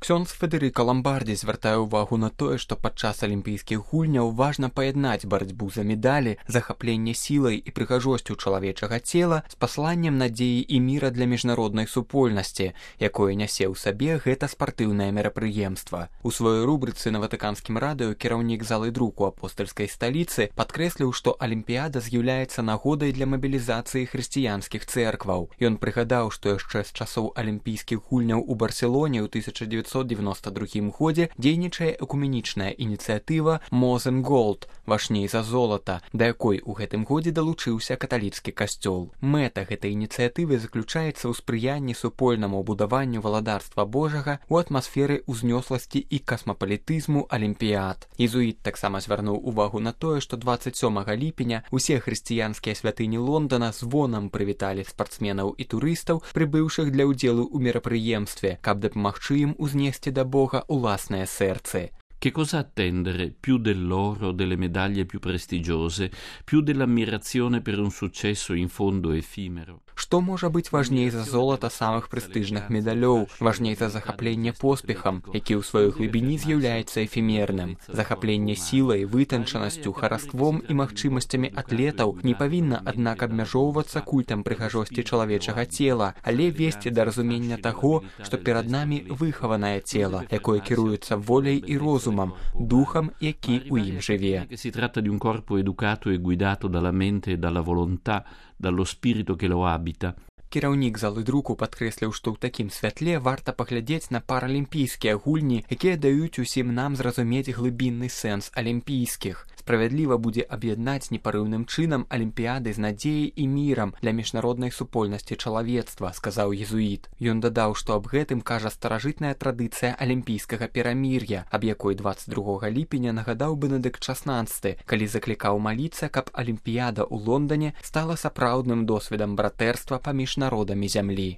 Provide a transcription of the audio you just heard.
Ксёндз Федэрыка Ламбардзі звяртае ўвагу на тое, што падчас алімпійскіх гульняў важна паяднаць барацьбу за медалі, захапленне сілай і прыгажосцю чалавечага цела з пасланнем надзеі і міра для міжнароднай супольнасці, якое нясе ў сабе гэта спартыўнае мерапрыемства. У сваёй рубрыцы на Ватыканскім радыё кіраўнік залы друку апостальскай сталіцы падкрэсліў, што алімпіяда з'яўляецца нагодай для мабілізацыі хрысціянскіх цэркваў. Ён прыгадаў, што яшчэ з часоў алімпійскіх гульняў у Барселоне ў 1992 годзе дзейнічае экуменічная ініцыятыва «Мозен Голд» – «Важней за золата», да якой у гэтым годзе далучыўся каталіцкі касцёл. Мэта гэтай ініцыятывы заключаецца ў спрыянні супольнаму будаванню валадарства Божага ў атмасферы ўзнёсласці і касмапалітызму алімпіяд. Езуіт таксама звярнуў увагу на тое, што 27 ліпеня усе хрысціянскія святыні Лондона звонам прывіталі спартсменаў і турыстаў, прыбыўшых для ўдзелу ў мерапрыемстве, каб дапамагчы ім узнесці да Бога уласныя сэрцы. Che cosa attendere più dell'oro, delle medaglie più prestigiose, più dell'ammirazione per un successo in fondo effimero? Што можа быць важней за золата самых прэстыжных медалёў, важней за захапленне поспехам, які ў сваёй глыбіні з'яўляецца эфемерным. Захапленне сілай, вытанчанасцю, хараством і магчымасцямі атлетаў не павінна, аднак, абмяжоўвацца культам прыгажосці чалавечага цела, але весці да разумення таго, што перад намі выхаванае цела, якое кіруецца воляй і розумам, духам, які ў ім жыве. Si tratta di un corpo educato e guidato dalla mente e dalla volontà, dallo spirito che lo abita. Кіраўнік залы друку падкрэсліў, што ў такім святле варта паглядзець на паралімпійскія гульні, якія даюць усім нам зразумець глыбінны сэнс алімпійскіх. Справядліва будзе аб'яднаць непарыўным чынам алімпіяды з надзеяй і мірам для міжнароднай супольнасці чалавецтва, сказаў езуіт. Ён дадаў, што аб гэтым кажа старажытная традыцыя алімпійскага перамір'я, аб якой 22 ліпеня нагадаў Бенедыкт XVI, калі заклікаў маліцца, каб алімпіяда ў Лондане стала сапраўдным досведам братэрства паміж народамі зямлі.